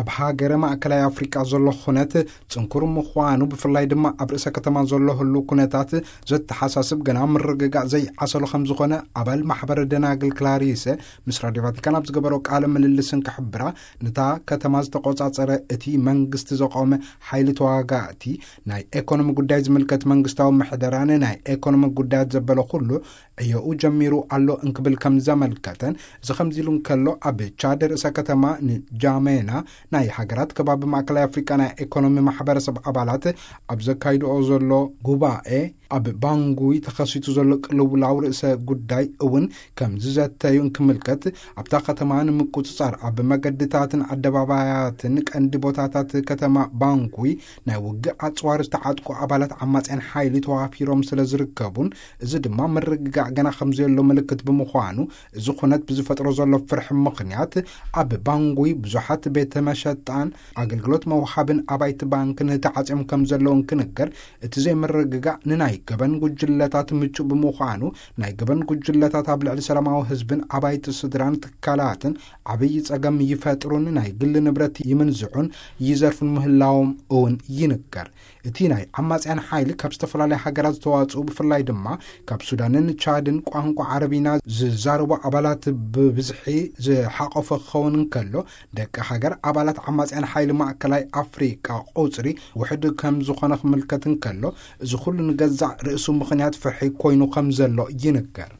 ኣብ ሃገረ ማእከላይ ኣፍሪቃ ዘሎ ኩነት ጽንኩር ምዃኑ፣ ብፍላይ ድማ ኣብ ርእሰ ከተማ ዘሎ ህሉ ኩነታት ዘተሓሳስብ፣ ገና ምርግጋእ ዘይዓሰሎ ከም ዝኾነ ኣባል ማሕበረ ደናግል ክላሪሰ ምስ ራድዮ ቫቲካን ኣብ ዝገበሮ ቃለ ምልልስን ክሕብራ፣ ነታ ከተማ ዝተቆጻጸረ እቲ መንግስቲ ዘቆመ ሓይሊ ተዋጋእቲ፣ ናይ ኤኮኖሚ ጉዳይ ዝምልከት መንግስታዊ ምሕደራን ናይ ኤኮኖሚ ጉዳያት ዘበለ ኩሉ ዕዮኡ ጀሚሩ ኣሎ እንክብል ከም ዘመልከተን፣ እዚ ከምዚ ኢሉ እንከሎ፣ ኣብ ቻድ ርእሰ ከተማ ንጃሜና ናይ ሃገራት ከባቢ ማእከላይ ኣፍሪቃ ናይ ኤኮኖሚ ማሕበረሰብ ኣባላት ኣብ ዘካይድኦ ዘሎ ጉባኤ፣ ኣብ ባንጉይ ተኸሲቱ ዘሎ ቅልውላው ርእሰ ጉዳይ እውን ከም ዝዘተዩ እንክምልከት፣ ኣብታ ከተማ ንምቁጽጻር ኣብ መገድታትን ኣደባባያትን ቀንዲ ቦታታት ከተማ ባንጉይ ናይ ውግእ ኣጽዋር ዝተዓጥቁ ኣባላት ዓማጽያን ሓይሊ ተዋፊሮም ስለ ዝርከቡን፣ እዚ ድማ ምርግጋእ ገና ከም ዘየሎ ምልክት ብምዃኑ፣ እዚ ኩነት ብዝፈጥሮ ዘሎ ፍርሒ ምኽንያት፣ ኣብ ባንጉይ ብዙሓት ቤተ መሸጣን ኣገልግሎት መውሃብን ኣባይቲ ባንክን ተዓጽዮም ከም ዘለዉ እንክንገር፣ እቲ ዘይምርግጋእ ንናይ ገበን ጉጅለታት ምቹእ ብምዃኑ፣ ናይ ገበን ጉጅለታት ኣብ ልዕሊ ሰላማዊ ህዝብን ኣባይቲ ስድራን ትካላትን ዓብዪ ጸገም ይፈጥሩን ናይ ግሊ ንብረት ይምንዝዑን ይዘርፉን ምህላዎም እውን ይንገር። እቲ ናይ ዓማጽያን ሓይሊ ካብ ዝተፈላለያ ሃገራት ዝተዋጽኡ፣ ብፍላይ ድማ ካብ ሱዳንን ቻድን፣ ቋንቋ ዓረብኛ ዝዛረቡ ኣባላት ብብዝሒ ዝሓቆፈ ክኸውን እንከሎ፣ ደቂ ሃገር ኣባላት ዓማጽያን ሓይሊ ማእከላይ ኣፍሪቃ ቁጽሪ ውሕድ ከም ዝኾነ ክምልከት እንከሎ፣ እዚ ኩሉ ንገዛእ ርእሱ ምኽንያት ፍርሒ ኮይኑ ከም ዘሎ ይንገር።